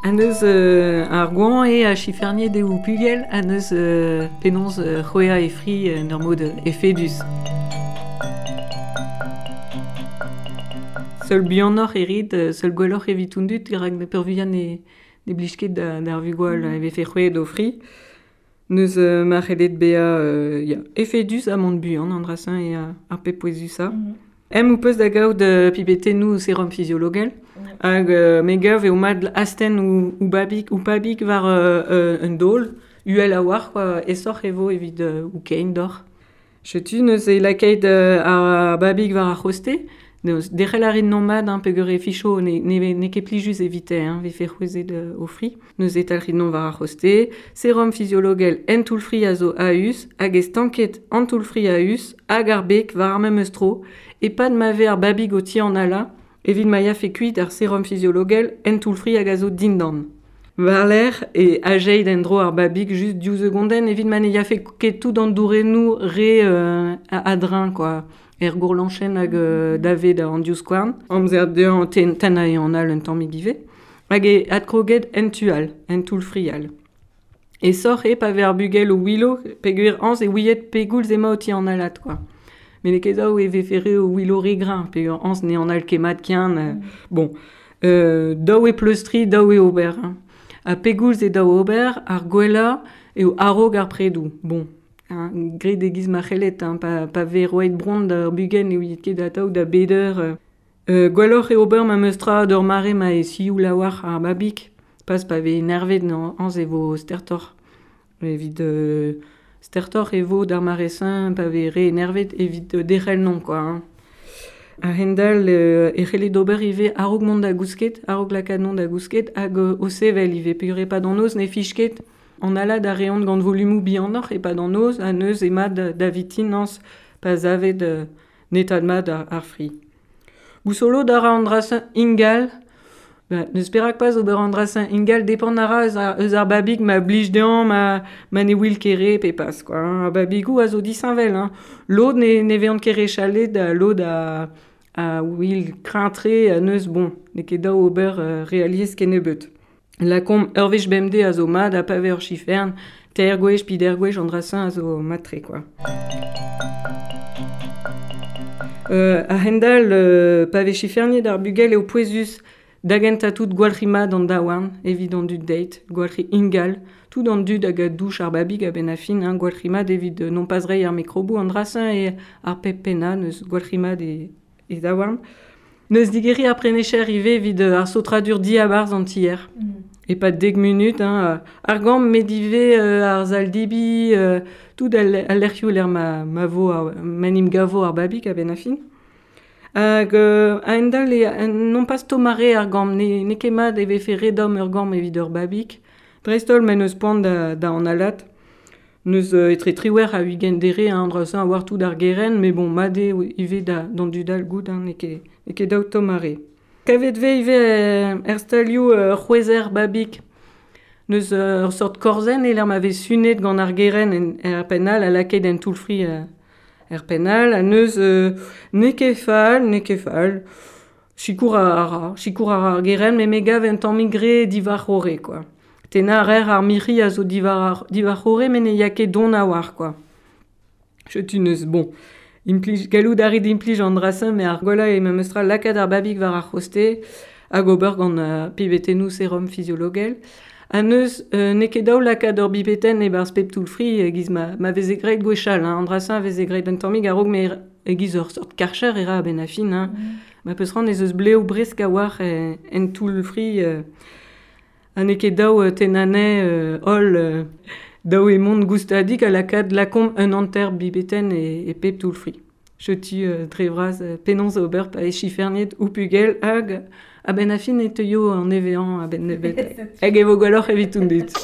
An eus ar goañ eo a chiferniet eo pugel, an eus penaos c'hwezhañ e fri en ur mod efedus. Seul buanoc'h e rit, seul gwelloc'h evit an dud rak peurvuiañ ne blij ket d'ar vugale e vefe c'hwezhet o fri. N'eus ma c'hellet bezañ ya, efedus ha mont buan an dra-se eo ar pep pouezusañ. Em ho peus da gaout pipetennoù serum fiziologel hag me gav eo mat astenn ho babig, ho pabig war un daol uhel a-walc'h quoi, aesoc'h e vo evit ho kein deoc'h. Setu neuze lakaet ar babig war ar c'hoste. Derc'hel a rit nomad hein, peogwir e ficho n'eo ket plijus evite hein, vefe c'hwezhet o fri. Neuze talc'hit nom war ar c'hoste. Serum fiziologel en toull-fri a zo a-us hag e stanket an toull-fri a-us hag ar beg war ar memes tro e-pad ma vez ar babig o tianalañ evit ma yafe kuit ar serum fiziologel en toull-fri hag a zo dindan. War-lerc'h e ajeit en-dro ar babig just div segondenn evit ma ne yafe ket tout an dourennoù re a-dreñv quoi. Er gourlañchenn hag davet an divskouarn. Amzer dezhañ tennañ an all un tammig ivez. Hag e adkroget en tu all, en toull-fri all. Aesoc'h eo pa vez ar bugel o ouelo peogwir añs e ouiet pegoulz emañ o tianalat quoi. Met n'eo ket dav e vefe re o ouelo re greñv peogwir añs ne anal ket mat ken. Bon, dav eo pleustriñ, dav eo ober. Hein. Ha pegoulz eo dav ober, ar gwellañ eo a-raok ar predoù. Bon, hein, graet e-giz ma c'hellet, hein, pa vez roet bronn d'ur bugel ne ouiet ket atav da bet eur. Gwelloc'h eo ober memes tra d'ur mare ma eo sioul a-walc'h ar babig. Pas pa vez enervet añs e vo stertoc'h. Evit stertoc'h e vo d'ar mare-se pa vez re enervet evit derc'hel non quoi. Hein. A-hend-all e c'hellit ober ivez a-raok mont da gousket, a-raok lakaat mont da gousket hag o sevel ivez peogwir e-pad an noz ne fich ket. An alad a reont gant volumoù bihanoc'h e-pad an noz ha neuze mat da vitin añs pa savet netaat mat ar fri. Gousolo da ra an dra-se ingal. N'eus perak pas ober an dra-se ingal, depend a ra eus ar babig ma blij dezhañ, ma ne wil ket re pe pas quoi. Ar babigoù a zo disheñvel. Hein. Lod ne vezont ket re chalet, lod a wil kreñv-tre ha neuz bon, n'eo ket dav ober re alies kennebeut. Lakaomp ur wech bemdez a zo mat ha pa vez ur chifern, teir gwech, peder gwech an dra-se a zo mat-tre quoi. A-hend-all, pa vez chiferniet ar bugel eo pouezus da gentañ tout gwalc'hiñ mat an daouarn evit an dud deit, gwalc'hiñ ingal, tout an dud hag a douch ar babig a-benn ar fin, hein, gwalc'hiñ mat evit non pas reiñ ar mikroboù an dra-se eo ar pep pennañ, neus gwalc'hiñ mat e daouarn. Neus digeriñ ar prenecher ivez evit ar saotradur diabarzh an tier. E-pad 10 munut, hein, ar gambr met ivez ar sal-debriñ, tout al lec'hioù lec'h ma vo ma 'n em gavo ar babig a-benn ar fin. Hag a-hend-all eo non pas tomm-re ar gambr, n'eo ket mat e vefe re domm ur gambr evit ur babig. Dreist-holl ma n'eus poan da analat. N'eus etre 78 ha dere hein, an dra-se a oar tout ar gerent, met bon, mat eo ivez d'an dud all goût, hein, n'eo ket dav tomm-re. Kavet 'vez ivez er stalioù c'hwezher babig. N'eus ur seurt korzenn e-lec'h ma vez sunet gant ar gerent er penn all ha lakaet en toull-fri er penn all. Ha neus n'eo ket fall, n'eo ket fall. Sikour a ra, sikour a ra ar gerent, met me gav un tammig re diwar-c'horre quoi. Tennañ a raer ar mirc'hi a zo diwar-c'horre met ne ya ket don a-walc'h quoi. Setu neus bon. Implij, gallout a rit implij an dra-se, met ar gwellañ eo memes tra lakaat ar babig war ar c'hoste hag ober gant pibetennoù serum fiziologel. Ha neus n'eo ket dav lakaat ur bibetenn e-barzh pep toull-fri e-giz ma veze graet gwechall. Hein. An dra-se a veze graet un tammig a-raok met e-giz ur seurt karcher e ra a-benn ar fin. Hein. Ma peus c'hoant ez eus blev bresk a-walc'h en toull-fri ha n'eo ket dav tennañ anezhe holl. Dav eo mont goustadik ha lakaat lakaomp un hanter bibetenn e pep toull-fri. Setu dre vras penaos ober pa eo chiferniet ho pugel hag a-benn ar fin e teuio an evezhañ a-benn nebeut. Hag e vo gwelloc'h evit an dud.